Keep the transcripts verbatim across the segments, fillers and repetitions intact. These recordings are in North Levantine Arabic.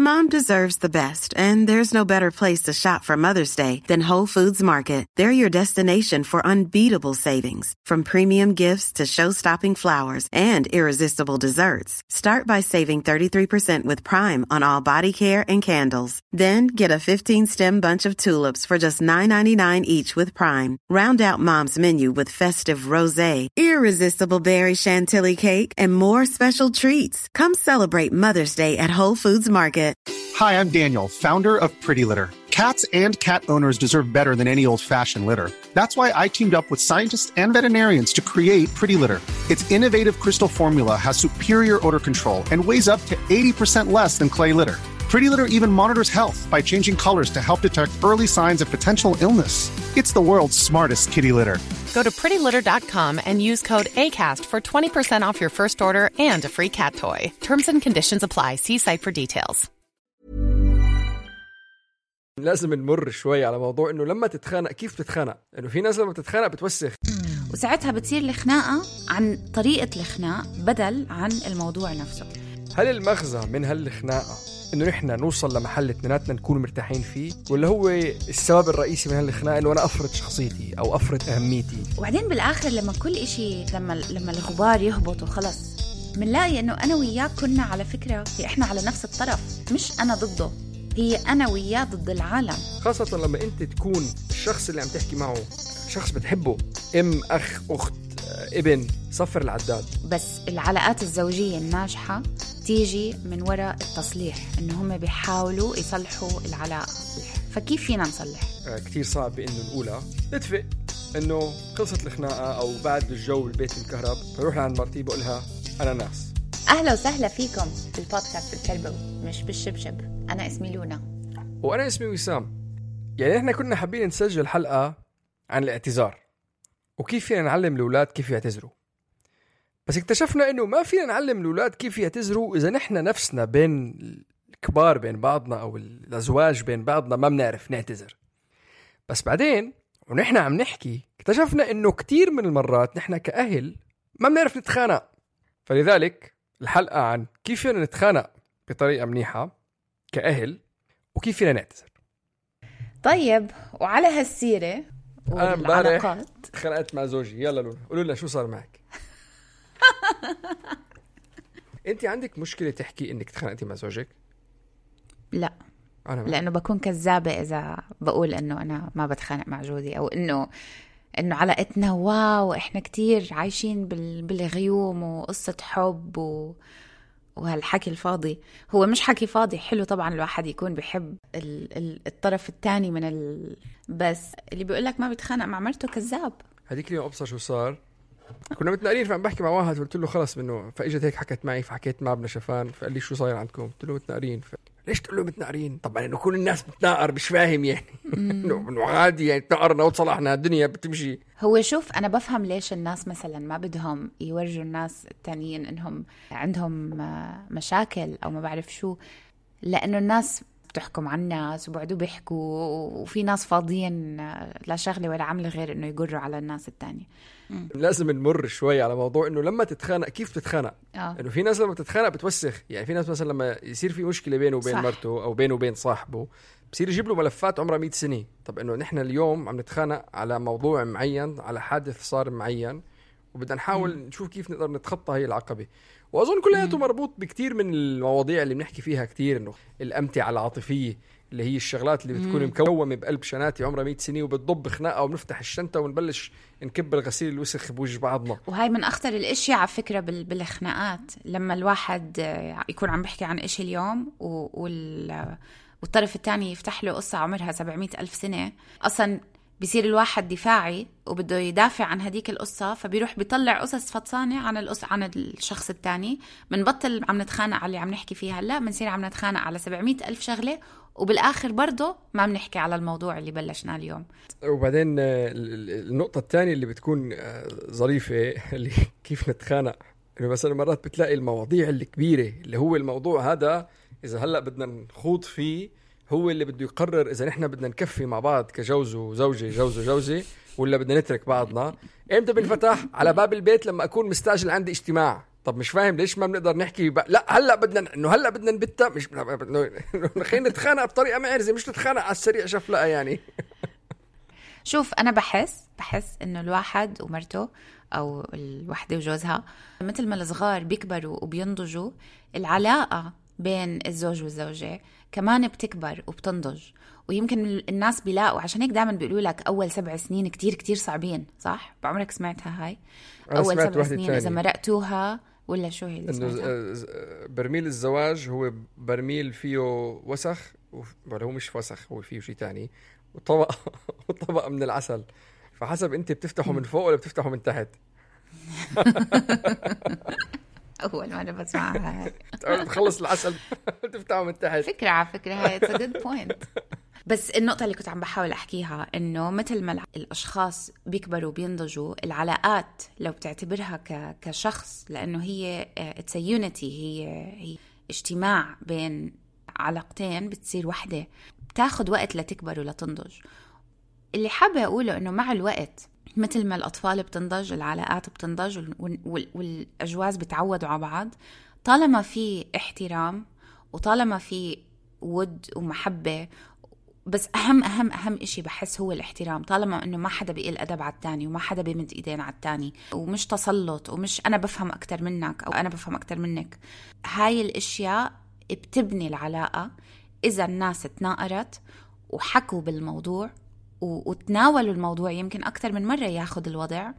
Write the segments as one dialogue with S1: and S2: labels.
S1: Mom deserves the best, and there's no better place to shop for Mother's Day than Whole Foods Market. They're your destination for unbeatable savings, from premium gifts to show-stopping flowers and irresistible desserts. Start by saving thirty-three percent with Prime on all body care and candles. Then get a fifteen-stem bunch of tulips for just nine ninety-nine each with Prime. Round out Mom's menu with festive rosé, irresistible berry chantilly cake, and more special treats. Come celebrate Mother's Day at Whole Foods Market.
S2: Hi, I'm Daniel, founder of Pretty Litter. Cats and cat owners deserve better than any old-fashioned litter. That's why I teamed up with scientists and veterinarians to create Pretty Litter. Its innovative crystal formula has superior odor control and weighs up to eighty percent less than clay litter. Pretty Litter even monitors health by changing colors to help detect early signs of potential illness. It's the world's smartest kitty litter.
S3: Go to pretty litter dot com and use code ACAST for twenty percent off your first order and a free cat toy. Terms and conditions apply. See site for details.
S4: لازم نمر شوي على موضوع إنه لما تتخانق كيف تتخانق، إنه في ناس لما تتخانق بتوسخ،
S5: وساعتها بتصير الخناقة عن طريقة الخناق بدل عن الموضوع نفسه.
S4: هل المغزى من هالخناقة إنه نحن نوصل لمحل اثنيناتنا نكون مرتاحين فيه، ولا هو السبب الرئيسي من هالخناقة إنه أنا أفرض شخصيتي أو أفرض أهميتي؟
S5: وبعدين بالآخر لما كل إشي لما لما الغبار يهبط وخلص منلاقي إنه أنا وياك كنا على فكرة إحنا على نفس الطرف، مش أنا ضده، هي أنا وياه ضد العالم.
S4: خاصة لما أنت تكون الشخص اللي عم تحكي معه شخص بتحبه، أم، أخ، أخت، ابن، صفر العداد.
S5: بس العلاقات الزوجية الناجحة تيجي من وراء التصليح، إنه هم بيحاولوا يصلحوا العلاقة. فكيف فينا نصلح؟
S4: آه كتير صعب بإنه نقولها نتفق إنه خلصت الخناقة أو بعد الجو البيت الكهرب بروح لعند مرتي بقولها أنا ناس.
S5: أهلا وسهلا فيكم في البودكاست الكلبوي مش بالشبشب. أنا اسمي لونا
S4: وأنا اسمي وسام. يعني إحنا كنا حابين نسجل حلقة عن الاعتذار وكيف فينا نعلم الأولاد كيف يعتذروا، بس اكتشفنا إنه ما فينا نعلم الأولاد كيف يعتذروا إذا نحن نفسنا بين الكبار بين بعضنا أو الأزواج بين بعضنا ما بنعرف نعتذر. بس بعدين ونحن عم نحكي اكتشفنا إنه كتير من المرات نحن كأهل ما بنعرف نتخانق، فلذلك الحلقة عن كيف فينا نتخانق بطريقة منيحة كأهل وكيف فينا نعتذر.
S5: طيب، وعلى هالسيرة
S4: والعلاقات خنقت مع زوجي. يلا لونا قولوا لنا شو صار معك. انت عندك مشكلة تحكي انك تخانقتي مع زوجك؟
S5: لا
S4: أنا
S5: لأنه بكون كذابة إذا بقول إنه أنا ما بتخانق مع جوزي، أو إنه إنه علاقتنا واو إحنا كتير عايشين بالغيوم وقصة حب و... وهالحكي الفاضي. هو مش حكي فاضي، حلو طبعا الواحد يكون بيحب ال... ال... الطرف الثاني من ال... بس اللي بيقولك ما بيتخانق مع مرته كذاب.
S4: هديك اليوم أبصر شو صار، كنا متنقرين فعم بحكي مع واحد قلت له خلص منه، فاجت هيك حكت معي فحكيت مع ابن شفان فقال لي شو صاير عندكم؟ قلت له متنقرين. ف... ليش تقول له متنقرين؟ طبعا انه كل الناس بتناقر مش فاهم يعني انه عادي يعني تناقرنا وتصلحنا الدنيا بتمشي.
S5: هو شوف انا بفهم ليش الناس مثلا ما بدهم يورجوا الناس التانيين انهم عندهم مشاكل او ما بعرف شو، لانه الناس بتحكم على الناس وبعدوا بيحكوا، وفي ناس فاضيين لا شغله ولا عمل غير انه يجروا على الناس التانية. مم.
S4: لازم نمر شوي على موضوع انه لما تتخانق كيف تتخانق.
S5: آه.
S4: انه في ناس لما تتخانق بتوسخ، يعني في ناس مثلا لما يصير في مشكله بينه وبين صح. مرته او بينه وبين صاحبه بصير يجيب له ملفات عمرها مئة سنه. طب انه نحن اليوم عم نتخانق على موضوع معين، على حادث صار معين، وبدنا نحاول مم. نشوف كيف نقدر نتخطى هي العقبه. واظن كلياته مربوط بكتير من المواضيع اللي بنحكي فيها كتير، انه الامتعه العاطفيه اللي هي الشغلات اللي بتكون مكومه بقلب شناتي عمرها مئة سنه وبتضب خناقه وبنفتح الشنطه ونبلش نكب الغسيل الوسخ بوجه بعضنا.
S5: وهي من اخطر الاشياء على فكره بالخناقات، لما الواحد يكون عم بيحكي عن إشي اليوم وال والطرف الثاني يفتح له قصه عمرها سبعمئة ألف سنه، اصلا بيصير الواحد دفاعي وبده يدافع عن هديك القصة، فبيروح بيطلع قصص فطسانة عن القصة عن الشخص الثاني. منبطل عم نتخانق على اللي عم نحكي فيها، لا منصير عم نتخانق على سبعمئة ألف شغلة، وبالآخر برضه ما بنحكي على الموضوع اللي بلشنا اليوم.
S4: وبعدين النقطة الثانية اللي بتكون ظريفة اللي كيف نتخانق، إنه مثلا مرات بتلاقي المواضيع الكبيرة اللي هو الموضوع هذا إذا هلأ بدنا نخوض فيه هو اللي بده يقرر إذا نحن بدنا نكفي مع بعض كجوز وزوجة جوز وجوزة ولا بدنا نترك بعضنا. إمتى بنفتح على باب البيت؟ لما أكون مستعجل عندي اجتماع. طب مش فاهم ليش ما بنقدر نحكي ب... لا هلا بدنا انه هلا بدنا نبتها مش خلينا نتخانق بطريقه معرزه مش نتخانق على السريع شفلقه يعني.
S5: شوف انا بحس بحس انه الواحد ومرته او الوحده وجوزها مثل ما الصغار بيكبروا وبينضجوا، العلاقه بين الزوج والزوجه كمان بتكبر وبتنضج. ويمكن الناس بيلاقوا عشان هيك دائما بيقولوا لك اول سبع سنين كتير كتير صعبين، صح؟ بعمرك سمعتها هاي؟ اول سبع سنين اذا مرقتوها ولا شو هي اللي
S4: سمعتها؟ برميل الزواج هو برميل فيه وسخ ولا هو مش وسخ، هو فيه شيء تاني، وطبق وطبق من العسل، فحسب انت بتفتحه من فوق ولا بتفتحه من تحت.
S5: اول ما انا بسمعها هاي
S4: تخلص العسل تفتحه من تحت.
S5: فكره على فكره هاي it's a good point. بس النقطة اللي كنت عم بحاول أحكيها إنه مثل ما الأشخاص بيكبروا بينضجوا، العلاقات لو بتعتبرها ك كشخص، لأنه هي it's a unity، هي هي اجتماع بين علاقتين بتصير وحدة، بتاخد وقت لتكبر ولتنضج. اللي حابة أقوله إنه مع الوقت مثل ما الأطفال بتنضج العلاقات بتنضج والأجواز بتعودوا على بعض، طالما في احترام وطالما في ود ومحبة. بس أهم أهم أهم إشي بحس هو الاحترام، طالما إنه ما حدا بيقل أدب على التاني وما حدا بيمد إيدين على التاني ومش تسلط ومش أنا بفهم أكتر منك أو أنا بفهم أكتر منك. هاي الأشياء بتبني العلاقة. إذا الناس تناقرت وحكوا بالموضوع وتناولوا الموضوع يمكن أكتر من مرة ياخد الوضع،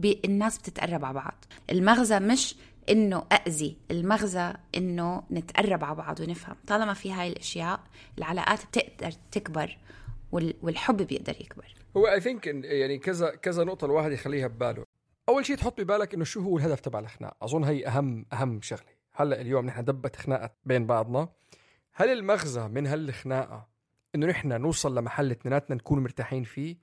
S5: الناس بتتقرب على بعض. المغزى مش إنه أأذي، المغزى إنه نتقرب على بعض ونفهم. طالما في هاي الأشياء العلاقات بتقدر تكبر والحب بيقدر يكبر.
S4: هو I think يعني كذا كذا نقطة الواحد يخليها بباله. أول شيء تحط ببالك إنه شو هو الهدف تبع الخناق. أظن هي أهم أهم شغلة. هلأ اليوم نحن دبت خناقة بين بعضنا، هل المغزى من هالخناقة إنه نحن نوصل لمحل اثنيناتنا نكون مرتاحين فيه؟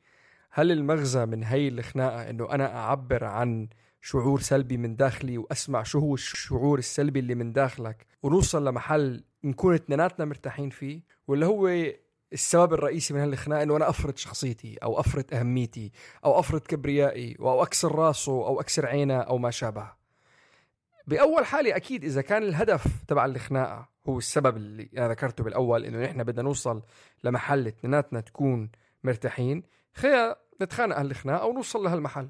S4: هل المغزى من هاي الخناقة إنه أنا أعبر عن شعور سلبي من داخلي وأسمع شو هو الشعور السلبي اللي من داخلك ونوصل لمحل نكون اثنيناتنا مرتاحين فيه؟ ولا هو السبب الرئيسي من هالخناقة إنه أنا أفرض شخصيتي أو أفرض أهميتي أو أفرض كبريائي أو أكسر راسه أو أكسر عينه أو ما شابه؟ بأول حالة أكيد إذا كان الهدف تبع الخناقة هو السبب اللي أنا ذكرته بالأول، إنه نحن بدنا نوصل لمحل اثنيناتنا تكون مرتاحين، خير نتخانق هالخناقة أو نوصل لهالمحل.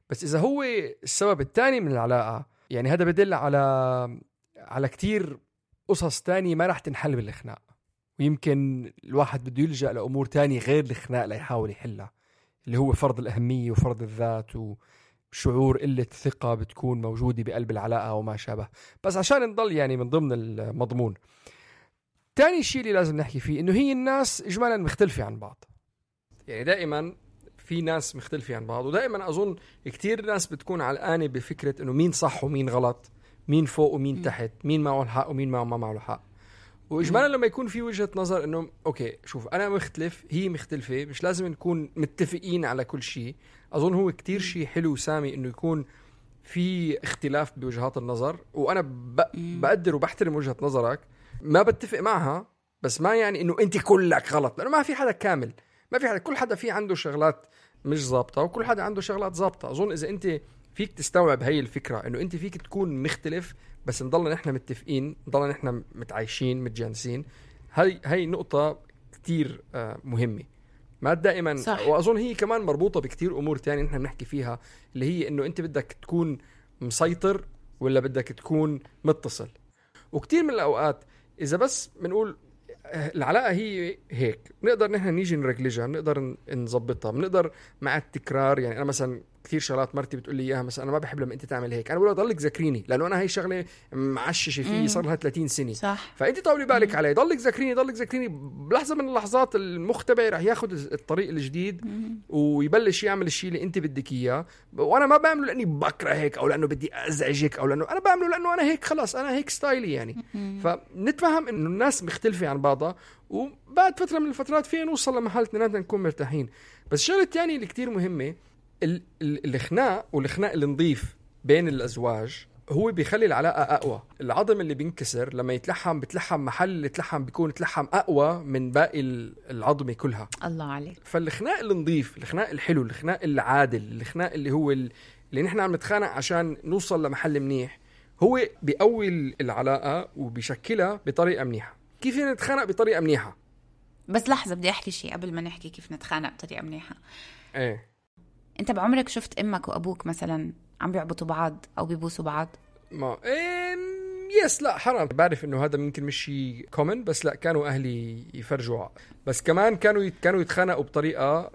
S4: بس إذا هو السبب الثاني من العلاقة، يعني هذا بدل على على كتير قصص تانية ما راح تنحل بالخناق، ويمكن الواحد بده يلجأ لأمور تانية غير الخناق ليحاول يحلها، اللي هو فرض الأهمية وفرض الذات وشعور قلة ثقة بتكون موجودة بقلب العلاقة وما شابه. بس عشان نضل يعني من ضمن المضمون، تاني شيء اللي لازم نحكي فيه إنه هي الناس إجمالا مختلفة عن بعض. يعني دائما في ناس مختلفة عن بعض، ودائما أظن كتير ناس بتكون علقانة بفكرة إنه مين صح ومين غلط، مين فوق ومين تحت، مين معه الحق ومين معه ما معه الحق. وإجمالا لما يكون في وجهة نظر إنه أوكي شوف أنا مختلف هي مختلفة، مش لازم نكون متفقين على كل شيء. أظن هو كتير شيء حلو سامي إنه يكون في اختلاف بوجهات النظر، وأنا بقدر وبحترم وجهة نظرك، ما بتفق معها بس ما يعني إنه أنت كلك غلط، لأنه ما في حدا كامل، ما في حدا، كل حدا فيه عنده شغلات مش ضابطة وكل حدا عنده شغلات ضابطة. أظن إذا أنت فيك تستوعب هاي الفكرة إنه أنت فيك تكون مختلف بس نضلنا نحن متفقين، نضلنا نحن متعايشين متجانسين، هاي هاي نقطة كتير مهمة ما دائما صح. وأظن هي كمان مربوطة بكتير أمور تانية نحن بنحكي فيها، اللي هي إنه أنت بدك تكون مسيطر ولا بدك تكون متصل. وكتير من الأوقات إذا بس بنقول العلاقة هي هيك، بنقدر نحن نيجي نرجلجها، بنقدر نظبطها، بنقدر مع التكرار. يعني أنا مثلا كثير شغلات مرتي بتقول لي إياها، مثلا أنا ما بحب لما أنت تعمل هيك، أنا بقول لها ضلك ذكريني، لأنه أنا هاي شغلة معششة فيه صار لها ثلاثين سنة صح. فأنت طولي بالك علي، ضلك ذكريني ضلك ذكريني بلحظة من اللحظات المختبئ رح ياخد الطريق الجديد مم. ويبلش يعمل الشيء اللي أنت بدك إياه. وأنا ما بعمله لأني بكره هيك أو لأنه بدي أزعجك أو لأنه أنا بعمله لأنه أنا هيك خلاص أنا هيك ستايلي يعني مم. فنتفهم إنه الناس مختلفة عن بعضها، وبعد فترة من الفترات فينا نوصل لمحل اثنيناتنا نكون مرتاحين. بس الشغلة الثانية اللي كتير مهمة، الخناق والخناق اللي نضيف بين الأزواج هو بيخلي العلاقة أقوى. العظم اللي بينكسر لما يتلحم بتلحم محل اللي تلحم بيكون تلحم أقوى من باقي العظمة كلها.
S5: الله عليك.
S4: فالخناق اللي نضيف، الخناق الحلو، الخناق العادل، الخناق اللي هو اللي نحن عم نتخانق عشان نوصل لمحل منيح هو بيقوي العلاقة وبيشكلها بطريقة منيحة. كيف نتخانق بطريقة منيحة؟
S5: بس لحظة بدي أحكي شيء قبل ما نحكي كيف نتخانق بطريقة منيحة.
S4: ايه
S5: أنت بعمرك شفت أمك وأبوك مثلا عم بيعبطوا بعض أو بيبوسوا بعض؟
S4: ما إيه يس لا حرام. بعرف إنه هذا ممكن مش شيء كومن، بس لا كانوا أهلي يفرجوا، بس كمان كانوا كانوا يتخانقوا بطريقة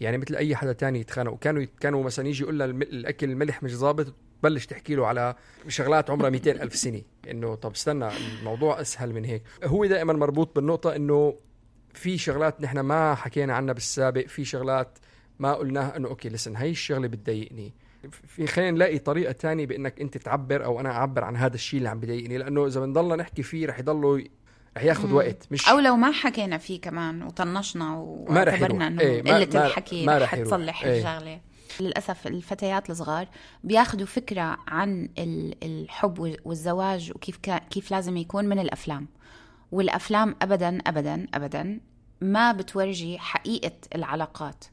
S4: يعني مثل أي حدا تاني يتخانقوا. كانوا كانوا مثلا يجي يقول له الأكل الملح مش ضابط، بلش تحكي له على شغلات عمرها مئتين ألف سنة، إنه طب استنى الموضوع أسهل من هيك. هو دائما مربوط بالنقطة إنه في شغلات نحن ما حكينا عنها بالسابق، في شغلات ما قلناها إنه أوكي لسن هاي الشغلة بتضايقني، في خلينا نلاقي طريقة تانية بإنك أنت تعبر أو أنا أعبر عن هذا الشيء اللي عم بضايقني، لأنه إذا بنضلنا نحكي فيه رح يضلوا رح ياخد وقت، مش
S5: أو لو ما حكينا فيه كمان وطنشنا واعتبرنا إنه
S4: ايه
S5: قلة الحكي رح تصلح
S4: ايه.
S5: الشغلة. للأسف الفتيات الصغار بياخدوا فكرة عن الحب والزواج وكيف كيف لازم يكون من الأفلام، والأفلام أبدا أبدا أبدا ما بتورجي حقيقة العلاقات.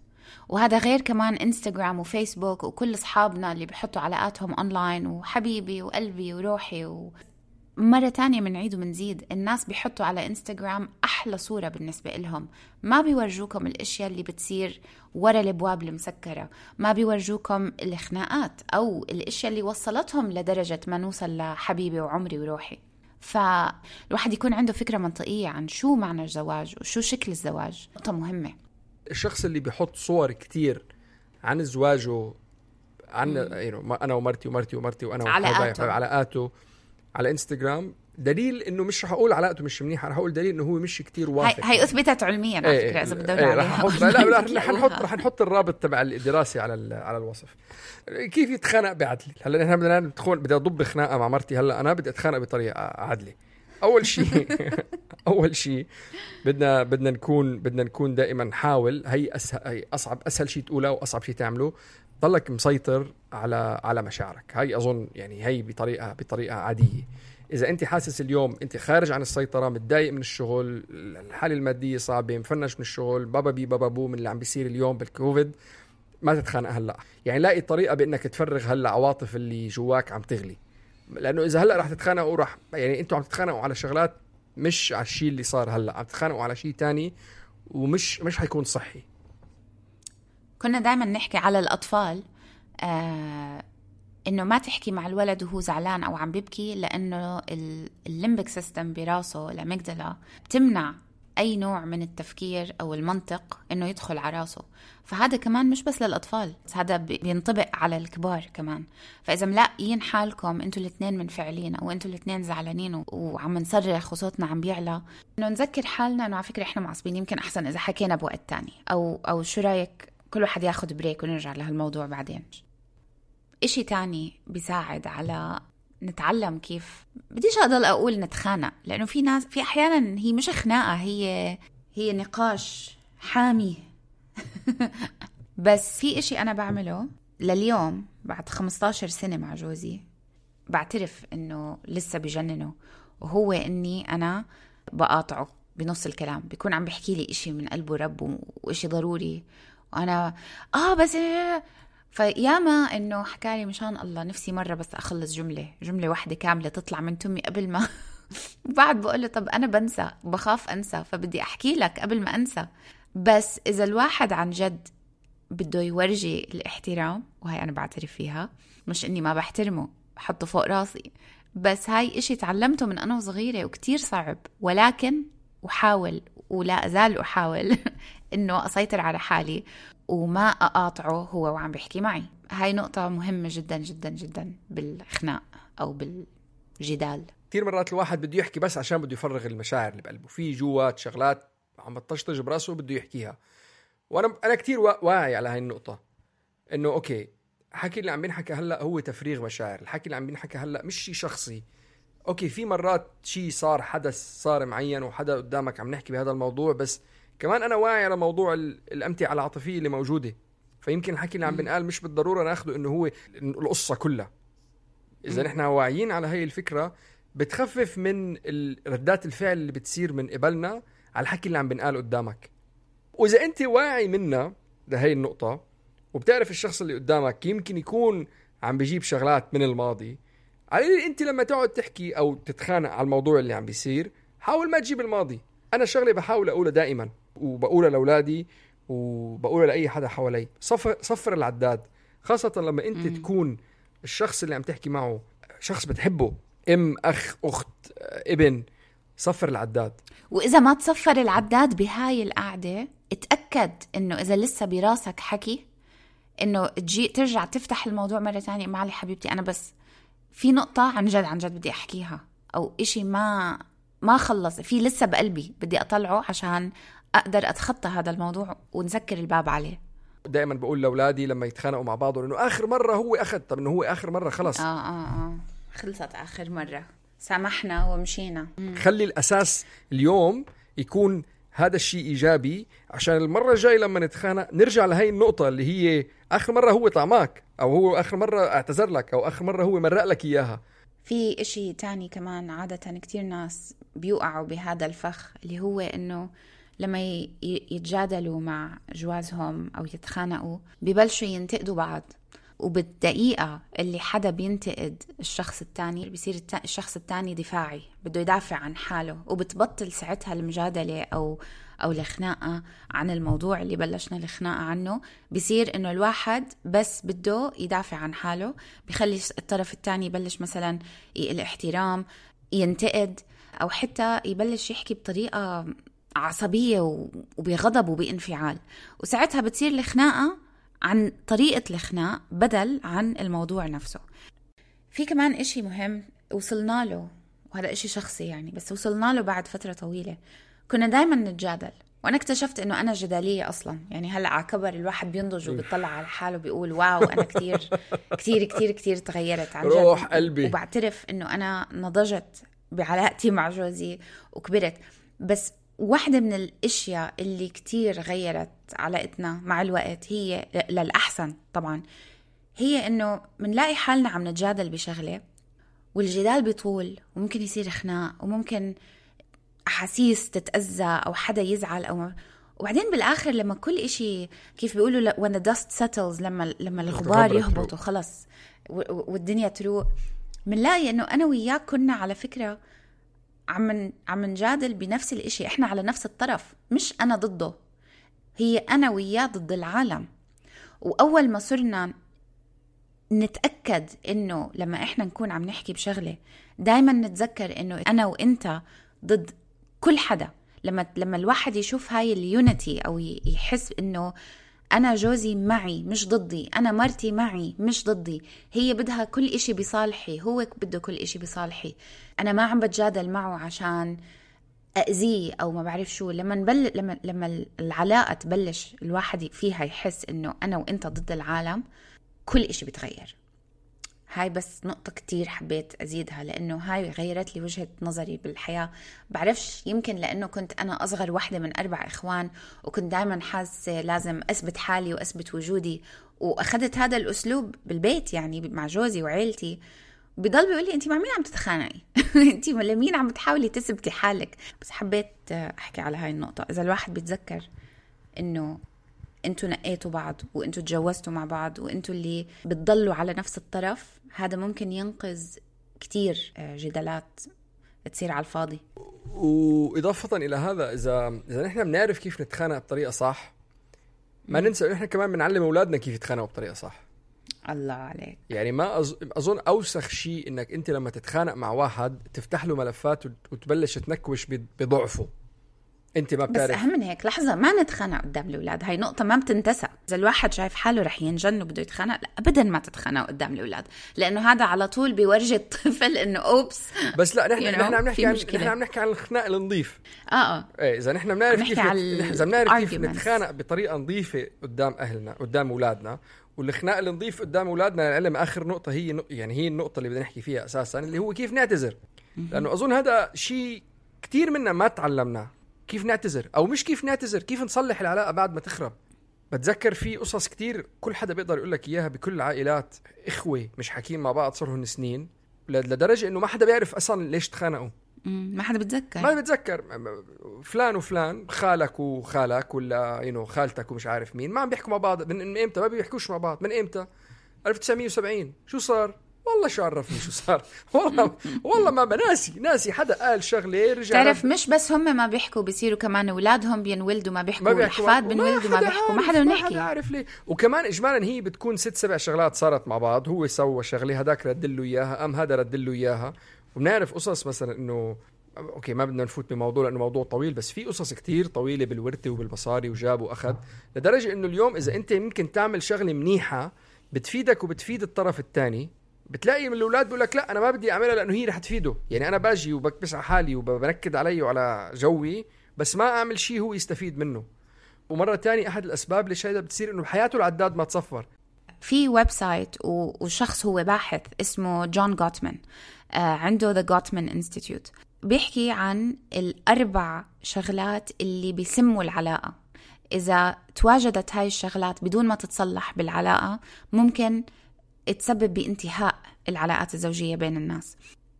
S5: وهذا غير كمان إنستغرام وفيسبوك وكل أصحابنا اللي بيحطوا علاقاتهم أونلاين وحبيبي وقلبي وروحي و... مرة تانية منعيد ومنزيد، الناس بيحطوا على إنستغرام أحلى صورة بالنسبة لهم، ما بيورجوكم الأشياء اللي بتصير ورا الأبواب المسكرة، ما بيورجوكم الخناقات أو الأشياء اللي وصلتهم لدرجة ما نوصل لحبيبي وعمري وروحي. فالواحد يكون عنده فكرة منطقية عن شو معنى الزواج وشو شكل الزواج، نقطة مهمة.
S4: الشخص اللي بيحط صور كتير عن زواجه، عن يعني أنا ومرتي ومرتي ومرتي وأنا
S5: علاقاته
S4: علاقاته على إنستغرام، دليل إنه مش رح أقول علاقته مش منيحة، رح أقول دليل إنه هو مش كتير واثق.
S5: هي أثبتت علميا على فكرة إذا بدنا
S4: عليها. رح نحط لا لا رح نحط رح نحط الرابط تبع الدراسة على على الوصف. كيف يتخانق بعدل؟ هلا نحن بدنا ندخل بدي أضب خناقة مع مرتي، هلا أنا بدي أتخانق بطريقة عادلة. أول شيء أول شيء بدنا بدنا نكون بدنا نكون دائما نحاول، هي أسهل هي أصعب أسهل شيء تقوله وأصعب شيء تعمله، ضلك مسيطر على على مشاعرك. هاي أظن يعني هي بطريقة بطريقة عادية. إذا أنت حاسس اليوم أنت خارج عن السيطرة، متضايق من الشغل، الحالة المادية صعبة، مفنش من الشغل، بابا بي بابا بو من اللي عم بيصير اليوم بالكوفيد، ما تتخانق هلأ. يعني لاقي طريقة بأنك تفرغ هلأ عواطف اللي جواك عم تغلي، لأنه إذا هلأ رح تتخانقوا رح يعني أنتوا عم تتخانقوا على شغلات مش على الشيء اللي صار هلأ، عم تتخانقوا على شيء تاني ومش مش هيكون صحي.
S5: كنا دائما نحكي على الأطفال آه إنه ما تحكي مع الولد وهو زعلان أو عم بيبكي، لأنه الليمبك سيستم براسه الأميجدلا بتمنع أي نوع من التفكير أو المنطق إنه يدخل على راسه. فهذا كمان مش بس للأطفال، هذا بينطبق على الكبار كمان. فإذا ملاقيين حالكم أنتوا الاثنين منفعلين أو أنتوا الاثنين زعلانين وعم نصرخ وصوتنا عم بيعلى، إنه نذكر حالنا إنه على فكرة إحنا معصبين، يمكن أحسن إذا حكينا بوقت تاني، أو أو شو رأيك كل واحد ياخد بريك ونرجع لهالموضوع بعدين. إشي تاني بيساعد على نتعلم كيف، بديش أضل أقول نتخانق، لأنه في ناس في أحيانا هي مش خناقة، هي هي نقاش حامي. بس في إشي أنا بعمله لليوم بعد خمستاشر سنة مع جوزي، بعترف إنه لسه بجننه، وهو إني أنا بقاطعه بنص الكلام، بيكون عم بحكي لي إشي من قلبه رب وإشي ضروري، وأنا آه بس فياما إنه حكالي مشان الله نفسي مرة بس أخلص جملة جملة واحدة كاملة تطلع من تمي قبل ما وبعد بقوله طب أنا بنسى، بخاف أنسى، فبدي أحكي لك قبل ما أنسى. بس إذا الواحد عن جد بده يورجي الاحترام، وهي أنا بعترف فيها، مش إني ما بحترمه بحطه فوق راسي، بس هاي إشي تعلمته من أنا وصغيرة وكتير صعب، ولكن أحاول ولا أزال أحاول إنه أسيطر على حالي وما أقاطعه هو وعم بيحكي معي. هاي نقطة مهمة جدا جدا جدا بالخناق أو بالجدال.
S4: كثير مرات الواحد بده يحكي بس عشان بده يفرغ المشاعر اللي بقلبه، في جوات شغلات عم تطشطش براسه بده يحكيها. وأنا أنا كتير واعي على هاي النقطة، إنه أوكي الحكي اللي عم بينحكى هلأ هو تفريغ مشاعر، الحكي اللي عم بينحكى هلأ مش شيء شخصي. أوكي في مرات شيء صار، حدث صار معين وحدا قدامك عم نحكي بهذا الموضوع، بس كمان أنا واعي على موضوع الأمتعة العاطفية اللي موجودة، فيمكن الحكي اللي عم بنقال مش بالضرورة ناخده إنه هو القصة كلها. إذا نحن واعيين على هاي الفكرة بتخفف من ردات الفعل اللي بتصير من قبلنا على الحكي اللي عم بنقال قدامك. وإذا أنت واعي منا لهي النقطة وبتعرف الشخص اللي قدامك يمكن يكون عم بيجيب شغلات من الماضي، علي انت لما تقعد تحكي او تتخانق على الموضوع اللي عم بيصير حاول ما تجيب الماضي. انا شغلي بحاول اقولها دائما وبقولها لاولادي وبقولها لاي حدا حوالي، صفر صفر العداد، خاصه لما انت م. تكون الشخص اللي عم تحكي معه شخص بتحبه، ام، اخ، اخت، ابن، صفر العداد.
S5: واذا ما تصفر العداد بهاي القعده اتاكد انه اذا لسه براسك حكي انه تجي ترجع تفتح الموضوع مره ثانيه. معلي حبيبتي انا بس في نقطه عن جد عن جد بدي احكيها، او اشي ما ما خلص في لسه بقلبي بدي اطلعه عشان اقدر اتخطى هذا الموضوع ونسكر الباب عليه.
S4: دائما بقول لاولادي لما يتخانقوا مع بعض انه اخر مره هو اخذ، طب انه هو اخر مره خلص،
S5: اه اه اه خلصت اخر مره، سامحنا ومشينا.
S4: خلي الاساس اليوم يكون هذا الشيء ايجابي، عشان المره الجايه لما نتخانق نرجع لهي النقطه اللي هي اخر مره هو طعماك، او هو اخر مره اعتذر لك، او اخر مره هو مرق لك اياها.
S5: في اشي تاني كمان عاده كتير ناس بيوقعوا بهذا الفخ، اللي هو انه لما يتجادلوا مع جوازهم أو يتخانقوا ببلشوا ينتقدوا بعض، وبالدقيقة اللي حدا بينتقد الشخص التاني بيصير الشخص التاني دفاعي، بده يدافع عن حاله، وبتبطل ساعتها المجادلة أو أو الخناقة عن الموضوع اللي بلشنا الخناقة عنه. بيصير إنه الواحد بس بده يدافع عن حاله، بيخلي الطرف التاني يبلش مثلا الاحترام، ينتقد، أو حتى يبلش يحكي بطريقة عصبية وبغضب وبانفعال، وساعتها بتصير الخناقة عن طريقة الخناق بدل عن الموضوع نفسه. في كمان إشي مهم وصلنا له، وهذا إشي شخصي يعني، بس وصلنا له بعد فترة طويلة. كنا دايما نتجادل، وأنا اكتشفت إنه أنا جدالية أصلا. يعني هلأ على كبر الواحد بينضج وبيطلع على حاله بيقول واو أنا كتير كتير كتير كتير تغيرت عن جد،
S4: روح قلبي.
S5: وبعترف إنه أنا نضجت بعلاقتي مع جوزي وكبرت. بس واحدة من الاشياء اللي كتير غيرت علاقتنا مع الوقت هي للأحسن طبعا، هي انه منلاقي حالنا عم نتجادل بشغلة، والجدال بيطول، وممكن يصير خناق، وممكن أحاسيس تتأذى أو حدا يزعل، أو وبعدين بالآخر لما كل إشي كيف بيقولوا when the dust settles، لما لما الغبار يهبط وخلص والدنيا تروق، منلاقي انه أنا وياك كنا على فكرة عم عم نجادل بنفس الاشي، احنا على نفس الطرف، مش انا ضده، هي انا وياه ضد العالم. واول ما صرنا نتاكد انه لما احنا نكون عم نحكي بشغله دايما نتذكر انه انا وانت ضد كل حدا، لما لما الواحد يشوف هاي اليونيتي او يحس انه أنا جوزي معي مش ضدي، أنا مرتي معي مش ضدي، هي بدها كل إشي بصالحي، هو بده كل إشي بصالحي، أنا ما عم بتجادل معه عشان أذيه أو ما بعرف شو. لما نبل لما لما العلاقة تبلش الواحد فيها يحس إنه أنا وإنت ضد العالم، كل إشي بتغير. هاي بس نقطة كتير حبيت أزيدها، لأنه هاي غيرت لي وجهة نظري بالحياة. بعرفش، يمكن لأنه كنت أنا أصغر واحدة من أربع إخوان، وكنت دايما حاسة لازم أثبت حالي وأثبت وجودي، وأخذت هذا الأسلوب بالبيت يعني مع جوزي وعيلتي. بيضل بيقول لي أنتي مع مين عم تتخانقي؟ أنتي لمين عم تحاولي تثبتي حالك؟ بس حبيت أحكي على هاي النقطة. إذا الواحد بيتذكر إنه انتوا نقيتوا بعض، وانتوا تجوزتوا مع بعض، وانتوا اللي بتضلوا على نفس الطرف، هذا ممكن ينقذ كتير جدالات تصير على الفاضي.
S4: وإضافة إلى هذا، إذا إذا نحن بنعرف كيف نتخانق بطريقة صح، ما ننسى نحن كمان بنعلم أولادنا كيف يتخانقوا بطريقة صح.
S5: الله عليك.
S4: يعني ما أظ... أظن أوسخ شيء إنك أنت لما تتخانق مع واحد تفتح له ملفات وتبلش تنكوش بضعفه. انت ما بتعرف.
S5: بس اهم من هيك لحظه، ما نتخانق قدام الاولاد، هاي نقطه ما بتنتسى. اذا الواحد شايف حاله رح ينجن وبده يتخانق، لا ابدا ما تتخانقوا قدام الاولاد، لانه هذا على طول بيورجي الطفل انه اوبس.
S4: بس لا، نحن نحن عم نحكي عن نحن عم نحكي عن الخناق النظيف.
S5: اه اه
S4: ايه اذا نحن بنعرف كيف اذا بنعرف كيف نتخانق بطريقه نظيفه قدام اهلنا قدام اولادنا، والخناق النظيف قدام اولادنا العلم اخر نقطه هي نق... يعني هي النقطه اللي بدنا نحكي فيها اساسا، اللي هو كيف نعتذر. لانه اظن هذا شيء كتير منا ما تعلمناه، كيف نعتذر، او مش كيف نعتذر، كيف نصلح العلاقه بعد ما تخرب. بتذكر في قصص كتير كل حدا بيقدر يقول لك اياها بكل العائلات، اخوه مش حاكين مع بعض صارهم سنين لدرجه انه ما حدا بيعرف اصلا ليش تخانقوا،
S5: ما حدا بتذكر
S4: ما بتذكر فلان وفلان، خالك وخالك ولا ينو خالتك ومش عارف مين، ما عم بيحكوا مع بعض من امتى؟ ما بيحكوش مع بعض من امتى؟ ألف وتسعمية وسبعين. شو صار؟ والله شو عرفني شو صار. والله والله ما بناسي ناسي حدا قال شغله رجع.
S5: تعرف مش بس هم ما بيحكوا، بيصيروا كمان اولادهم بينولدوا ما بيحكوا، الاحفاد بينولدوا ما بيحكوا، ما حدا بنحكي.
S4: ما عارف ليه. وكمان اجمالا هي بتكون ست سبع شغلات صارت مع بعض، هو سوى شغله هداك رد له اياها، ام هذا رد له اياها. وبنعرف قصص مثلا انه اوكي ما بدنا نفوت بموضوع لانه موضوع طويل، بس في قصص كتير طويله بالورثه وبالمصاري وجاب واخذ، لدرجه انه اليوم اذا انت ممكن تعمل شغله منيحه بتفيدك وبتفيد الطرف الثاني، بتلاقي من الاولاد بيقول لك لا انا ما بدي اعملها لانه هي رح تفيده. يعني انا باجي وبكبس على حالي وبنكد علي وعلى جوي، بس ما اعمل شيء هو يستفيد منه. ومره تانية احد الاسباب ليش هيدا بتصير انه بحياته العداد ما تصفر.
S5: في ويب سايت وشخص هو باحث اسمه جون غوتمان، آه عنده The Gottman Institute، بيحكي عن الأربع شغلات اللي بيسموا العلاقة. إذا تواجدت هاي الشغلات بدون ما تتصلح بالعلاقة ممكن تسبب بانتهاء العلاقات الزوجية بين الناس.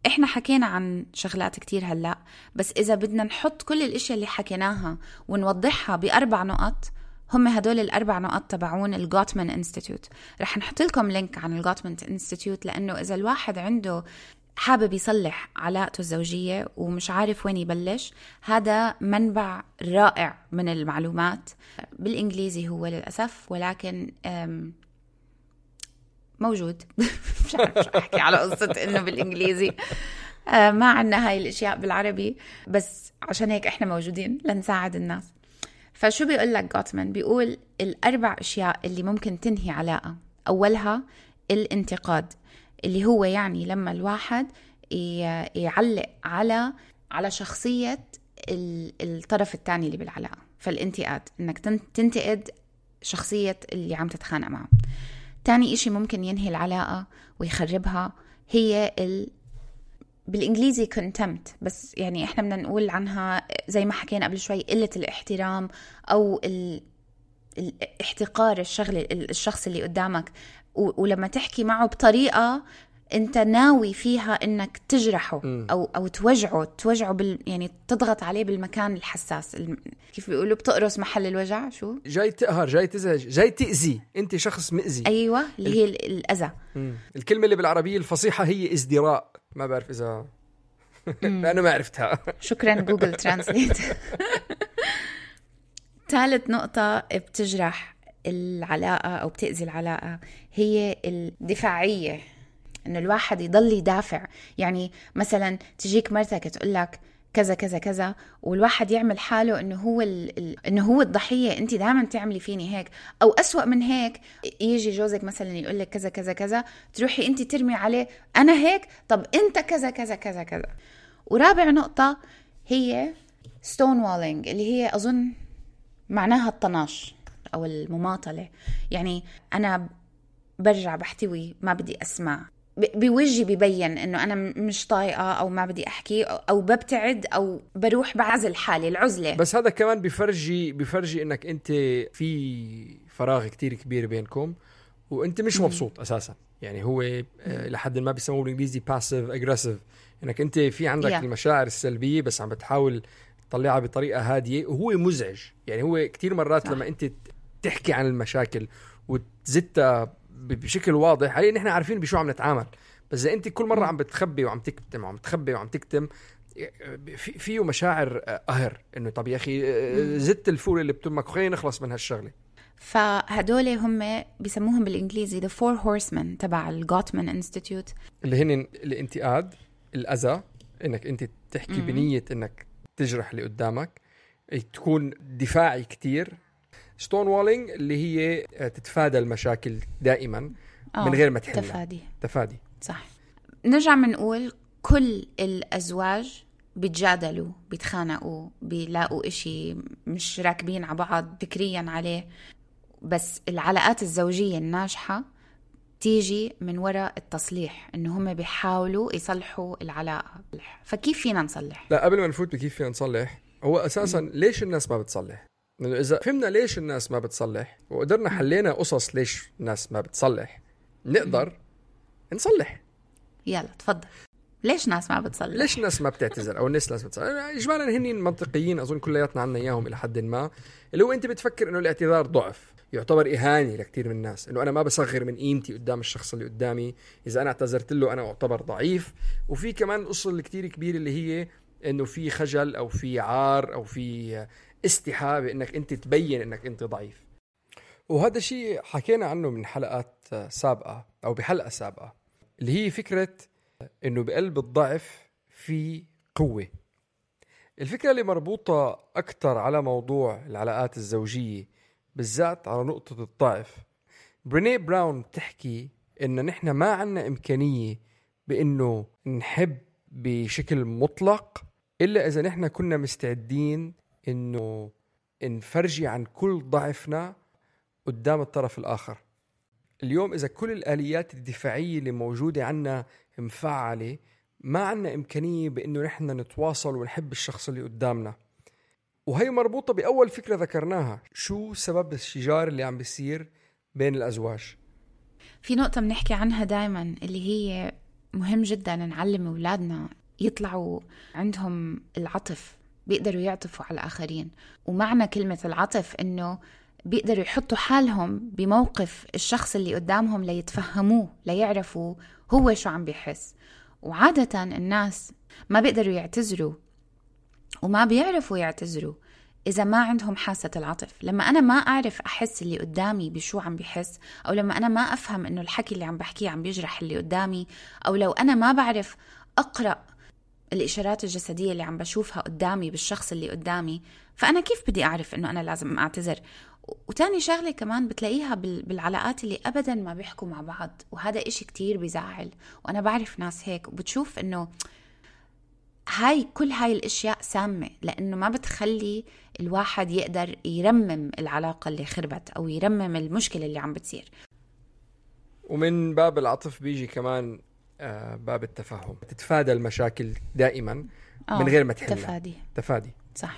S5: إحنا حكينا عن شغلات كتير هلأ، بس إذا بدنا نحط كل الاشياء اللي حكيناها ونوضحها بأربع نقط، هم هدول الأربع نقط تبعون الغوتمان انستيتيوت. رح نحط لكم لينك عن الغوتمان انستيتيوت، لأنه إذا الواحد عنده حابب يصلح علاقته الزوجية ومش عارف وين يبلش، هذا منبع رائع من المعلومات. بالإنجليزي هو للأسف، ولكن موجود. مش عارف شو أحكي على قصة إنه بالإنجليزي ما عنا هاي الأشياء بالعربي، بس عشان هيك إحنا موجودين لنساعد الناس. فشو بيقول لك غوتمان؟ بيقول الأربع أشياء اللي ممكن تنهي علاقة. أولها الانتقاد، اللي هو يعني لما الواحد يعلق على على شخصية الطرف الثاني اللي بالعلاقة، فالانتقاد إنك تنتقد شخصية اللي عم تتخانق معه. تاني إشي ممكن ينهي العلاقة ويخربها هي ال... بالإنجليزي contempt، بس يعني إحنا بدنا نقول عنها زي ما حكينا قبل شوي قلة الاحترام أو ال... الاحتقار الشغل الشخص اللي قدامك، و... ولما تحكي معه بطريقة أنت ناوي فيها إنك تجرحه أو أو توجعه توجعه بال... يعني تضغط عليه بالمكان الحساس، الم... كيف بيقولوا بتقرص محل الوجع، شو
S4: جاي تقهر جاي تزعج جاي تأذي، أنت شخص مأذي.
S5: أيوة اللي هي ال... الأذى.
S4: الكلمة اللي بالعربية الفصيحة هي ازدراء، ما بعرف إذا أنا ما عرفتها.
S5: شكرا جوجل ترانسليت. ثالث نقطة بتجرح العلاقة أو بتأذي العلاقة هي الدفاعية، إنه الواحد يضل يدافع. يعني مثلا تجيك مرتك تقول لك كذا كذا كذا، والواحد يعمل حاله إنه هو ال... ال... إنه هو الضحية، أنت دائما تعملي فيني هيك، أو أسوأ من هيك يجي جوزك مثلا يقول لك كذا كذا كذا، تروحي أنت ترمي عليه أنا هيك، طب أنت كذا كذا كذا كذا. ورابع نقطة هي stonewalling، اللي هي أظن معناها الطناش أو المماطلة. يعني أنا برجع بحتوي، ما بدي أسمع، بوجهي ببين إنه أنا مش طايقة أو ما بدي أحكي، أو ببتعد أو بروح بعزل حالي العزلة.
S4: بس هذا كمان بيفرجي بيفرجي إنك أنت في فراغ كتير كبير بينكم وأنت مش مبسوط أساسا. يعني هو لحد ما بيسموه بالإنجليزي passive aggressive، إنك أنت في عندك yeah. المشاعر السلبية بس عم بتحاول تطلعها بطريقة هادية، وهو مزعج. يعني هو كتير مرات صح. لما أنت تحكي عن المشاكل وتزتها بشكل واضح، علي نحن عارفين بشو عم نتعامل، بس إذا أنت كل مرة عم بتخبي وعم تكتم وعم تخبي وعم تكتم، في فيه مشاعر قهر إنه طب يا أخي زدت الفول اللي بتمك، خلينا نخلص من هالشغلة.
S5: فهدول هم بيسموهم بالإنجليزي the four horsemen تبع الغوتمان انستيتيوت،
S4: اللي هن الانتقاد، الأذى، إنك أنت تحكي م- بنية إنك تجرح اللي قدامك، تكون دفاعي كتير، ستون وولينج اللي هي تتفادى المشاكل دائما من غير ما تحلها.
S5: تفادي
S4: تفادي
S5: صح. نرجع منقول كل الأزواج بيتجادلوا، بيتخانقوا، بيلاقوا إشي مش راكبين على بعض فكريا عليه، بس العلاقات الزوجية الناجحة تيجي من وراء التصليح، إنه هم بيحاولوا يصلحوا العلاقة. فكيف فينا نصلح؟
S4: لا قبل ما نفوت بكيف فينا نصلح، هو أساسا م. ليش الناس ما بتصلح؟ لأنه إذا فهمنا ليش الناس ما بتصلح وقدرنا حلينا قصص ليش الناس ما بتصلح، نقدر م. نصلح.
S5: يلا تفضل. ليش ناس ما بتصلح؟
S4: ليش الناس ما بتعتذر او الناس لازم تصلح؟ اجمالا هني منطقيين اظن كلياتنا عنا اياهم الى حد ما، اللي هو انت بتفكر انه الاعتذار ضعف، يعتبر اهانه لكثير من الناس، انه انا ما بصغر من قيمتي قدام الشخص اللي قدامي، اذا انا اعتذرت له انا اعتبر ضعيف. وفي كمان القصه اللي كثير كبيره اللي هي انه في خجل او في عار او في استحاء بانك انت تبين انك انت ضعيف. وهذا شيء حكينا عنه من حلقات سابقه او بحلقه سابقه، اللي هي فكره انه بقلب الضعف في قوه. الفكره اللي مربوطه اكثر على موضوع العلاقات الزوجيه بالذات على نقطه الضعف. بريني براون بتحكي إن نحن ما عنا إمكانية بإنه نحب بشكل مطلق إلا إذا نحن كنا مستعدين إنه نفرجي عن كل ضعفنا قدام الطرف الآخر. اليوم إذا كل الآليات الدفاعية اللي موجودة عنا مفعلة، ما عنا إمكانية بإنه نحن نتواصل ونحب الشخص اللي قدامنا. وهي مربوطة بأول فكرة ذكرناها، شو سبب الشجار اللي عم بيصير بين الأزواج.
S5: في نقطة بنحكي عنها دايما اللي هي مهم جدا نعلم أولادنا يطلعوا عندهم العطف، بيقدروا يعطفوا على الآخرين. ومعنى كلمة العطف إنه بيقدروا يحطوا حالهم بموقف الشخص اللي قدامهم ليتفهموه، ليعرفوا هو شو عم بيحس. وعادة الناس ما بيقدروا يعتذروا وما بيعرفوا يعتذروا إذا ما عندهم حاسة العطف. لما أنا ما أعرف أحس اللي قدامي بشو عم بيحس، أو لما أنا ما أفهم إنه الحكي اللي عم بحكيه عم بيجرح اللي قدامي، أو لو أنا ما بعرف أقرأ الإشارات الجسدية اللي عم بشوفها قدامي بالشخص اللي قدامي، فأنا كيف بدي أعرف إنه أنا لازم أعتذر؟ وتاني شغلة كمان بتلاقيها بالعلاقات اللي أبدا ما بيحكوا مع بعض، وهذا إشي كتير بيزعل. وأنا بعرف ناس هيك، وبتشوف إنه هاي كل هاي الاشياء سامة، لانه ما بتخلي الواحد يقدر يرمم العلاقة اللي خربت او يرمم المشكلة اللي عم بتصير.
S4: ومن باب العطف بيجي كمان آه باب التفاهم، تتفادى المشاكل دائما من غير ما تحلها.
S5: تفادي
S4: تفادي
S5: صح.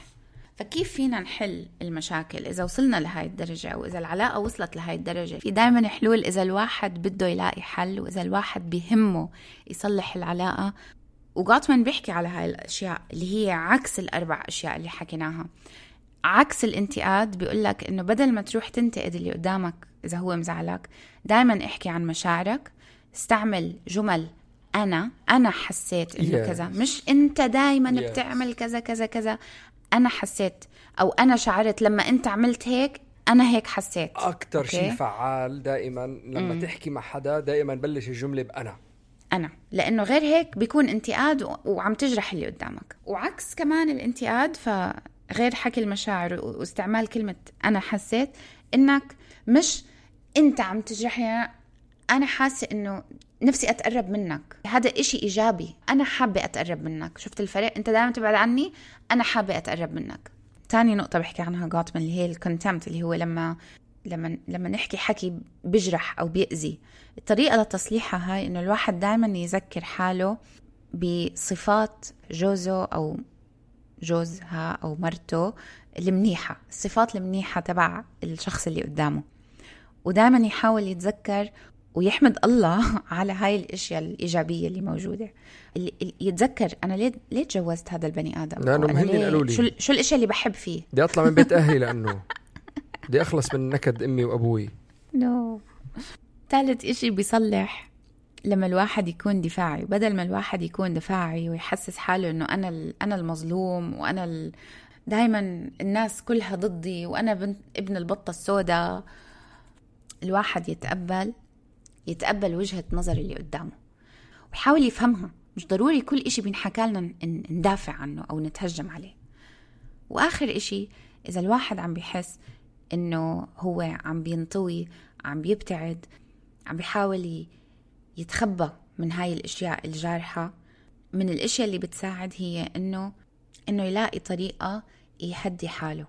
S5: فكيف فينا نحل المشاكل إذا وصلنا لهاي الدرجة، أو إذا العلاقة وصلت لهاي الدرجة؟ في دايما حلول إذا الواحد بده يلاقي حل، وإذا الواحد بيهمه يصلح العلاقة. وغوتمان بيحكي على هاي الأشياء اللي هي عكس الأربع أشياء اللي حكيناها. عكس الانتقاد بيقولك إنه بدل ما تروح تنتقد اللي قدامك إذا هو مزعلك، دايما احكي عن مشاعرك، استعمل جمل أنا أنا حسيت إنه yes. كذا، مش أنت دايما yes. بتعمل كذا كذا كذا. أنا حسيت أو أنا شعرت لما أنت عملت هيك، أنا هيك حسيت.
S4: أكتر شيء فعال دائما لما م. تحكي مع حدا دائما بلش الجملة بأنا
S5: أنا، لأنه غير هيك بيكون انتقاد وعم تجرح اللي قدامك. وعكس كمان الانتقاد، فغير حكي المشاعر واستعمال كلمة أنا حسيت، إنك مش أنت عم تجرحني، أنا حاسة إنه نفسي أتقرب منك، هذا إشي إيجابي، أنا حابة أتقرب منك. شفت الفرق؟ أنت دائما تبعد عني، أنا حابة أتقرب منك. تاني نقطة بحكي عنها غوتمان اللي هي الكونتمت، اللي هو لما لما لما نحكي حكي بجرح أو بيأذي. الطريقة لتصليحها هاي إنه الواحد دائما يذكر حاله بصفات جوزه أو جوزها أو مرته المنيحة، الصفات المنيحة تبع الشخص اللي قدامه، ودائما يحاول يتذكر ويحمد الله على هاي الاشياء الايجابيه اللي موجوده. اللي يتذكر انا ليه ليه تجوزت هذا البني ادم،
S4: لانه مهني قالوا لي
S5: شو شو الاشياء اللي بحب فيه.
S4: بدي اطلع من بيت اهلي لانه بدي اخلص من نكد امي وابوي.
S5: نو no. ثالث اشي بيصلح لما الواحد يكون دفاعي، بدل ما الواحد يكون دفاعي ويحسس حاله انه انا انا المظلوم، وانا ال... دائما الناس كلها ضدي، وانا بنت ابن البطه السوداء. الواحد يتقبل يتقبل وجهة نظر اللي قدامه ويحاول يفهمها. مش ضروري كل إشي بينحكى لنا ندافع عنه أو نتهجم عليه. وآخر إشي، إذا الواحد عم بيحس إنه هو عم بينطوي، عم بيبتعد، عم بيحاول يتخبى من هاي الأشياء الجارحة، من الأشياء اللي بتساعد هي إنه إنه يلاقي طريقة يهدي حاله،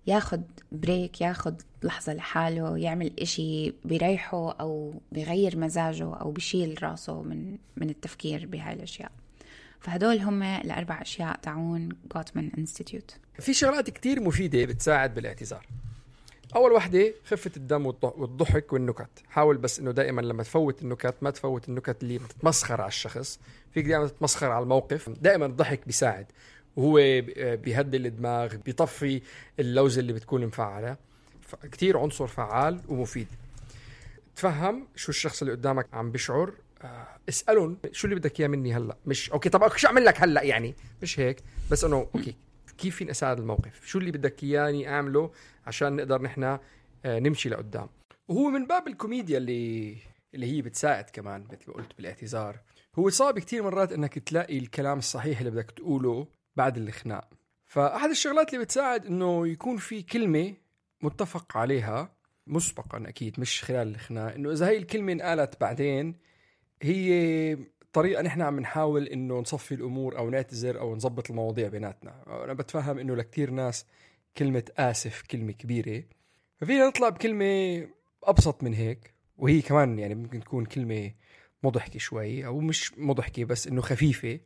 S5: ياخد بريك، ياخد لحظة لحاله، يعمل إشي بيريحه أو بيغير مزاجه أو بيشيل راسه من من التفكير بهاي الأشياء. فهدول هم الأربع أشياء تعون غوتمان انستيتيوت.
S4: في شغلات كتير مفيدة بتساعد بالاعتذار. اول وحده خفه الدم والضحك والنكت. حاول بس انه دائما لما تفوت النكت ما تفوت النكت اللي بتتمسخر على الشخص، فيك دائما تتمسخر على الموقف. دائما الضحك بيساعد وهو بيهدي الدماغ، بيطفي اللوزه اللي بتكون مفعله. كتير عنصر فعال ومفيد. تفهم شو الشخص اللي قدامك عم بيشعر، اسألهم شو اللي بدك اياه مني هلا، مش اوكي طب شو اعمل لك هلا، يعني مش هيك، بس انه اوكي كيف فين اساعد الموقف، شو اللي بدك اياني اعمله عشان نقدر نحن نمشي لقدام. وهو من باب الكوميديا اللي اللي هي بتساعد كمان مثل ما قلت بالاعتذار. هو صعب كتير مرات انك تلاقي الكلام الصحيح اللي بدك تقوله بعد الخناق. فاحد الشغلات اللي بتساعد انه يكون في كلمة متفق عليها مسبقا، اكيد مش خلال الخناق، انه اذا هي الكلمة انقالت بعدين هي طريقة نحن عم نحاول انه نصفي الامور او نعتذر او نظبط المواضيع بيناتنا. انا بتفهم انه لكتير ناس كلمة آسف كلمة كبيرة، ففينا نطلع بكلمة ابسط من هيك، وهي كمان يعني ممكن تكون كلمة مضحكة شوي او مش مضحكة بس انه خفيفة،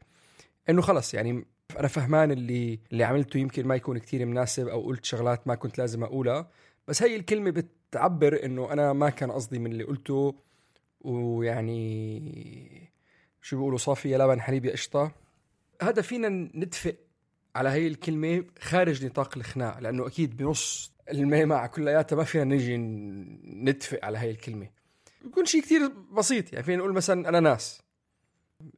S4: انه خلص يعني انا فهمان اللي اللي عملته يمكن ما يكون كتير مناسب او قلت شغلات ما كنت لازم اقولها، بس هي الكلمة بتعبر انه انا ما كان قصدي من اللي قلته، ويعني شو بيقولوا صافي يا لبن حليب يا قشطة. هذا فينا نتفق على هاي الكلمة خارج نطاق الخناق، لأنه أكيد بنص الميمة كلياتها ما فينا نجي نتفق على هاي الكلمة. بيكون شيء كتير بسيط، يعني فينا نقول مثلا أنا ناس،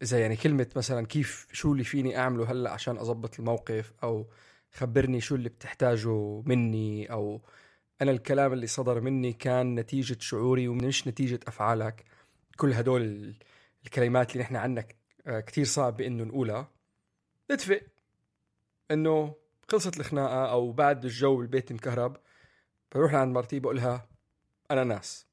S4: إذا يعني كلمة مثلا كيف شو اللي فيني أعمله هلأ عشان أضبط الموقف، أو خبرني شو اللي بتحتاجه مني، أو أنا الكلام اللي صدر مني كان نتيجة شعوري ومش نتيجة أفعالك. كل هدول الكلمات اللي نحن عنك كتير صعب بأنه نقولها. نتفق أنه خلصت الخناقة أو بعد الجو بالبيت مكهرب، بروح لعند مرتي بقولها أنا ناس.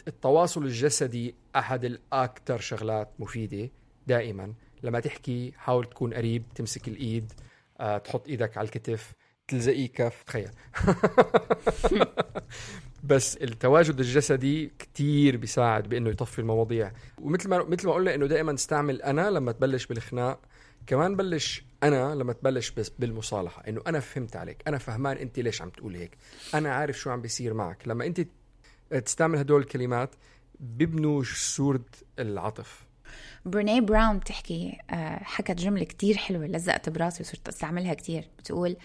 S4: التواصل الجسدي أحد الأكثر شغلات مفيدة. دائما لما تحكي حاول تكون قريب، تمسك الإيد، أه، تحط إيدك على الكتف، تلزقي كف، تخيل. بس التواجد الجسدي كتير بيساعد بأنه يطفي المواضيع. ومثل ما مثل ما قلنا إنه دائما استعمل أنا لما تبلش بالخناق، كمان بلش أنا لما تبلش بس بالمصالحة، إنه أنا فهمت عليك، أنا فهمان أنت ليش عم تقول هيك، أنا عارف شو عم بيصير معك. لما أنت تستعمل هدول الكلمات بيبنوا صورة العطف.
S5: بريني براون تحكي حكت جملة كتير حلوة لزقت براسي وصرت استعملها كتير. بتقول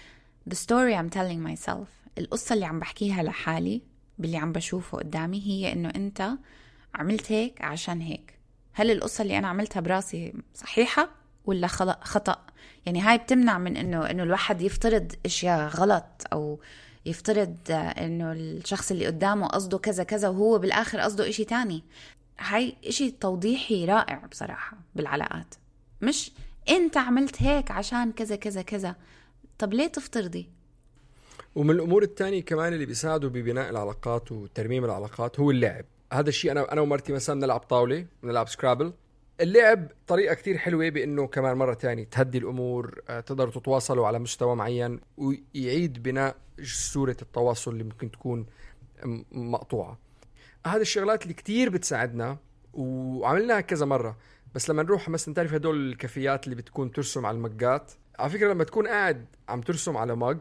S5: The story I'm telling myself، القصة اللي عم بحكيها لحالي باللي عم بشوفه قدامي هي إنه أنت عملت هيك عشان هيك. هل القصة اللي أنا عملتها براسي صحيحة ولا خطأ؟ يعني هاي بتمنع من إنه إنه الواحد يفترض إشياء غلط، أو يفترض إنه الشخص اللي قدامه قصده كذا كذا وهو بالآخر قصده إشي تاني. هاي إشي توضيحي رائع بصراحة بالعلاقات، مش أنت عملت هيك عشان كذا كذا كذا. طب ليه تفترضي؟
S4: ومن الأمور التانية كمان اللي بيساعدوا ببناء العلاقات وترميم العلاقات هو اللعب. هذا الشيء أنا أنا ومرتي مثلا نلعب طاولة، نلعب سكرابل. اللعب طريقة كتير حلوة بأنه كمان مرة تانية تهدي الأمور، تقدروا تتواصلوا على مستوى معين، ويعيد بناء صورة التواصل اللي ممكن تكون مقطوعة. هذه الشغلات اللي كتير بتساعدنا وعملناها كذا مرة. بس لما نروح مثلا تعرف هدول الكافيات اللي بتكون ترسم على المجات، على فكرة لما تكون قاعد عم ترسم على مج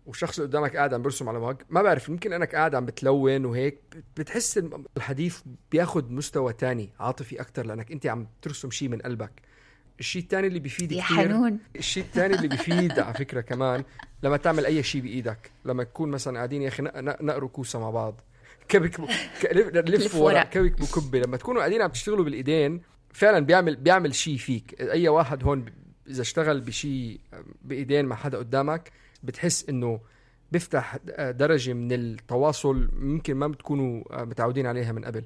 S4: والشخص اللي قدامك قاعد عم برسم على مج، ما بعرف يمكن انك قاعد عم بتلون وهيك، بتحس الحديث بياخد مستوى تاني عاطفي اكتر لانك انت عم ترسم شيء من قلبك. الشيء الثاني اللي بيفيد
S5: يا
S4: كتير
S5: حنون.
S4: الشيء الثاني اللي بيفيد على فكرة كمان لما تعمل اي شيء بايدك، لما تكون مثلا قاعدين يا اخي نقروا كوسة مع بعض، كبك لف ورا كبك بكبه، لما تكونوا قاعدين عم تشتغلوا بالايدين فعلا بيعمل بيعمل شيء فيك. اي واحد هون اذا اشتغل بشيء بايدين مع حدا قدامك بتحس انه بيفتح درجة من التواصل ممكن ما بتكونوا متعودين عليها من قبل.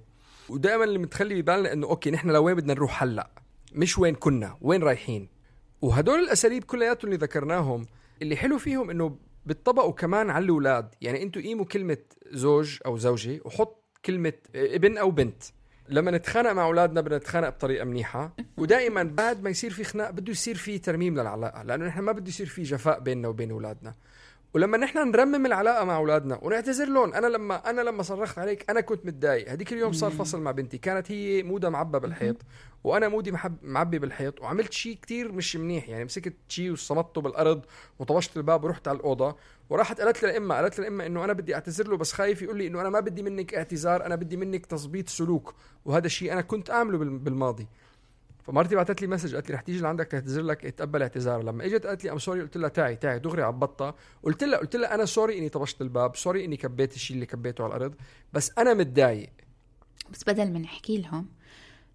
S4: ودائما اللي متخلي ببالنا انه اوكي نحن لوين بدنا نروح هلا، مش وين كنا، وين رايحين. وهدول الاساليب كلياتهم اللي ذكرناهم اللي حلو فيهم انه بتطبقوا كمان على الاولاد. يعني انتوا قيموا كلمة زوج او زوجة وحط كلمة ابن او بنت. لما نتخانق مع اولادنا بدنا نتخانق بطريقه منيحه، ودائما بعد ما يصير في خناق بده يصير في ترميم للعلاقه، لانه نحن ما بده يصير في جفاء بيننا وبين اولادنا. ولما نحن نرمم العلاقه مع اولادنا ونعتذر لهم، انا لما انا لما صرخت عليك انا كنت متضايق، هديك اليوم صار فصل مع بنتي، كانت هي مودها معبى بالحيط وانا مودي محب معبي بالحيط، وعملت شيء كتير مش منيح، يعني مسكت شيء وصمته بالارض وطبشت الباب ورحت على الاوضه، وراحت قالت للامه قالت للامه انه انا بدي اعتذر له بس خايف يقول لي انه انا ما بدي منك اعتذار، انا بدي منك تظبيط سلوك، وهذا الشيء انا كنت اعمله بالماضي. فمرتي بعثت لي مسج قالت لي رح تيجي لعندك تعتذر لك، اتقبل اعتذار. لما اجت قالت لي ام سوري، قلت لها تعي تعي دغري عبطتها، قلت لها قلت لها انا سوري اني طبشت الباب، سوري اني كبيت الشيء اللي كبيته على الارض، بس انا متضايق.
S5: بس بدل ما نحكي لهم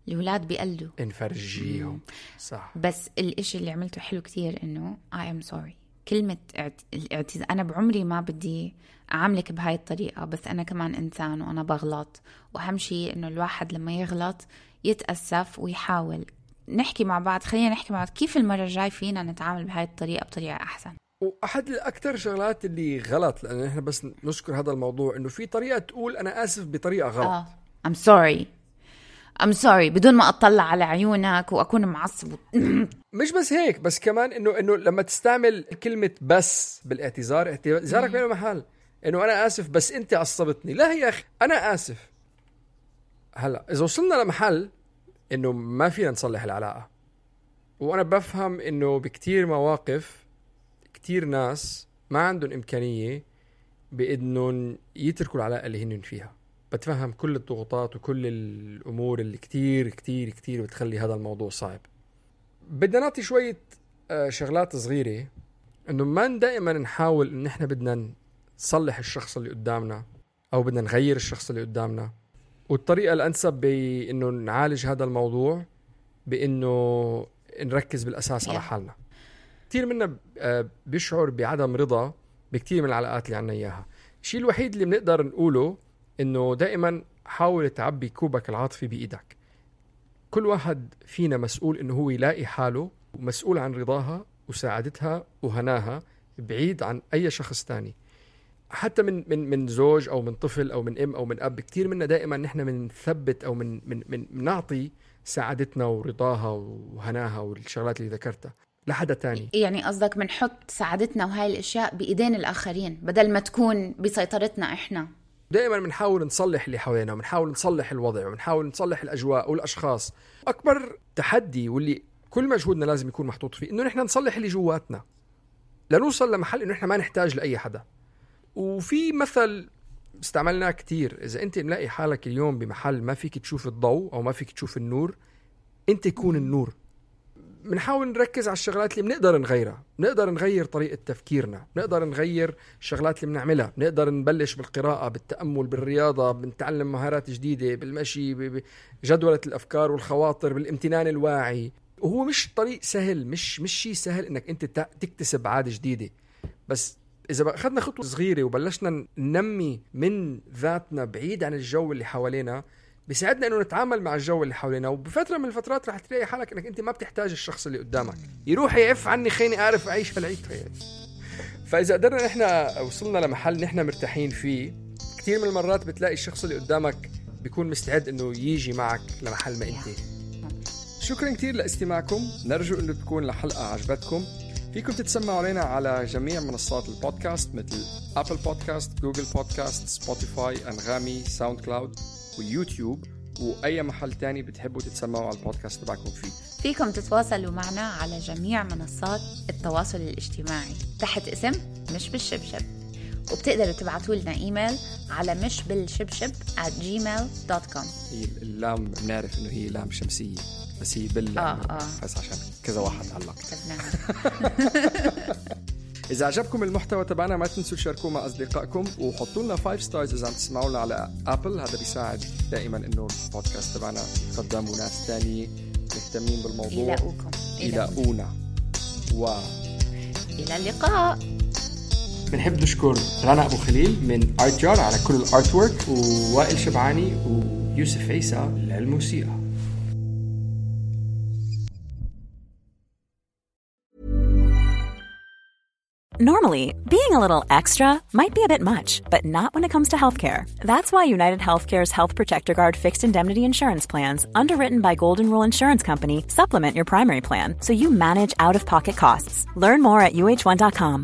S5: الأولاد بيقلدوا،
S4: نفرجيهم. صح.
S5: بس الاشي اللي عملته حلو كتير انه I am sorry. كلمة الاعتذار، انا بعمري ما بدي اعاملك بهاي الطريقة، بس انا كمان انسان وانا بغلط، واهم شيء انه الواحد لما يغلط يتأسف ويحاول نحكي مع بعض، خلينا نحكي مع بعض كيف المرة الجاي فينا نتعامل بهاي الطريقة بطريقة احسن.
S4: واحد الاكثر شغلات اللي غلط، لان احنا بس نذكر هذا الموضوع، انه في طريقة تقول انا اسف بطريقة غلط.
S5: آه. I'm sorry I'm sorry بدون ما اطلع على عيونك واكون معصب.
S4: مش بس هيك، بس كمان انه انه لما تستعمل كلمة بس بالاعتذار، اعتذارك ما له محل، انه انا اسف بس انت عصبتني. لا يا اخي انا اسف. هلا اذا وصلنا لمحل انه ما فينا نصلح العلاقة، وانا بفهم انه بكتير مواقف كتير ناس ما عندهم امكانية بانهم يتركوا العلاقة اللي هن فيها، بتفهم كل الضغوطات وكل الامور اللي كتير كتير كتير بتخلي هذا الموضوع صعب. بدنا نعطي شوية شغلات صغيرة، انه ما دائما نحاول ان احنا بدنا نصلح الشخص اللي قدامنا او بدنا نغير الشخص اللي قدامنا، والطريقة الانسب بانه نعالج هذا الموضوع بانه نركز بالاساس على حالنا. كتير منا بيشعر بعدم رضا بكتير من العلاقات اللي عنا اياها. الشيء الوحيد اللي بنقدر نقوله انه دائما حاول تعبي كوبك العاطفي بايدك. كل واحد فينا مسؤول انه هو يلاقي حاله ومسؤول عن رضاها وسعادتها وهناها بعيد عن اي شخص تاني، حتى من من من زوج او من طفل او من ام او من اب. كتير منا دائما نحن بنثبت او من من من نعطي سعادتنا ورضاها وهناها والشغلات اللي ذكرتها لحدا تاني.
S5: يعني قصدك بنحط سعادتنا وهاي الاشياء بايدين الاخرين بدل ما تكون بسيطرتنا احنا.
S4: دائما بنحاول نصلح اللي حوالينا وبنحاول نصلح الوضع وبنحاول نصلح الأجواء والأشخاص. أكبر تحدي واللي كل مجهودنا لازم يكون محطوط فيه إنه نحن نصلح اللي جواتنا لنوصل لمحل إنه نحن ما نحتاج لأي حدا. وفي مثل استعملناه كتير، إذا أنت ملاقي حالك اليوم بمحل ما فيك تشوف الضوء أو ما فيك تشوف النور، أنت كون النور. بنحاول نركز على الشغلات اللي بنقدر نغيرها، بنقدر نغير طريقة تفكيرنا، بنقدر نغير الشغلات اللي بنعملها، بنقدر نبلش بالقراءة، بالتأمل، بالرياضة، بنتعلم مهارات جديدة، بالمشي، بجدولة الأفكار والخواطر، بالامتنان الواعي. وهو مش طريق سهل، مش مش شيء سهل إنك أنت تكتسب عادة جديدة، بس إذا أخذنا خطوة صغيرة وبلشنا ننمي من ذاتنا بعيد عن الجو اللي حوالينا، بيساعدنا انه نتعامل مع الجو اللي حوالينا. وبفتره من الفترات رح تلاقي حالك انك انت ما بتحتاج الشخص اللي قدامك يروح يعف عني خيني اعرف اعيش هالعيشة يعني. فاذا قدرنا نحن وصلنا لمحل نحن مرتاحين فيه، كتير من المرات بتلاقي الشخص اللي قدامك بيكون مستعد انه يجي معك لمحل ما انت. شكرا كتير لاستماعكم، نرجو انه تكون الحلقه عجبتكم. فيكم تتسمعوا علينا على جميع منصات البودكاست مثل ابل بودكاست، جوجل بودكاست، سبوتيفاي، انغامي، ساوند كلاود ويوتيوب، وأي محل تاني بتحبوا تتسمعوا على البودكاست تبعكم فيه.
S5: فيكم تتواصلوا معنا على جميع منصات التواصل الاجتماعي تحت اسم مش بالشبشب، وبتقدروا تبعتوا لنا إيميل على مش بالشبشب at gmail dot com.
S4: هي اللام بنعرف إنه هي لام شمسية، بس هي بال
S5: آه آه.
S4: بس عشان كذا واحد علق
S5: كتبناها.
S4: إذا عجبكم المحتوى تبعنا ما تنسوا تشاركوه مع أصدقائكم وحطوا لنا فايف ستارز إذا عم تسمعونا على أبل. هذا بيساعد دائما إنه البودكاست تبعنا يقدم ناس تانية مهتمين بالموضوع
S5: يلاقوكم
S4: يلاقونا. و
S5: إلى اللقاء.
S4: بنحب نشكر رنا أبو خليل من آرت جار على كل الآرت وورك، ووائل شبعاني ويوسف عيسى للموسيقى.
S6: Normally, being a little extra might be a bit much, but not when it comes to healthcare. That's why United Healthcare's Health Protector Guard fixed indemnity insurance plans, underwritten by Golden Rule Insurance Company, supplement your primary plan so you manage out-of-pocket costs. Learn more at U H one dot com.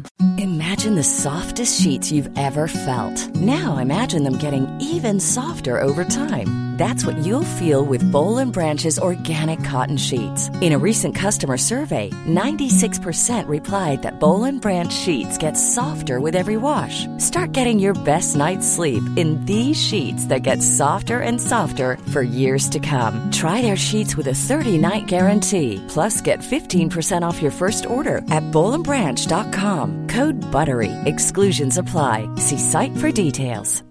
S7: Imagine imagine the softest sheets you've ever felt. Now imagine them getting even softer over time. That's what you'll feel with Boll and Branch's organic cotton sheets. In a recent customer survey, ninety-six percent replied that Boll and Branch sheets get softer with every wash. Start getting your best night's sleep in these sheets that get softer and softer for years to come. Try their sheets with a thirty-night guarantee. Plus, get fifteen percent off your first order at boll and branch dot com. Code BUTTERY. Exclusions apply. See site for details.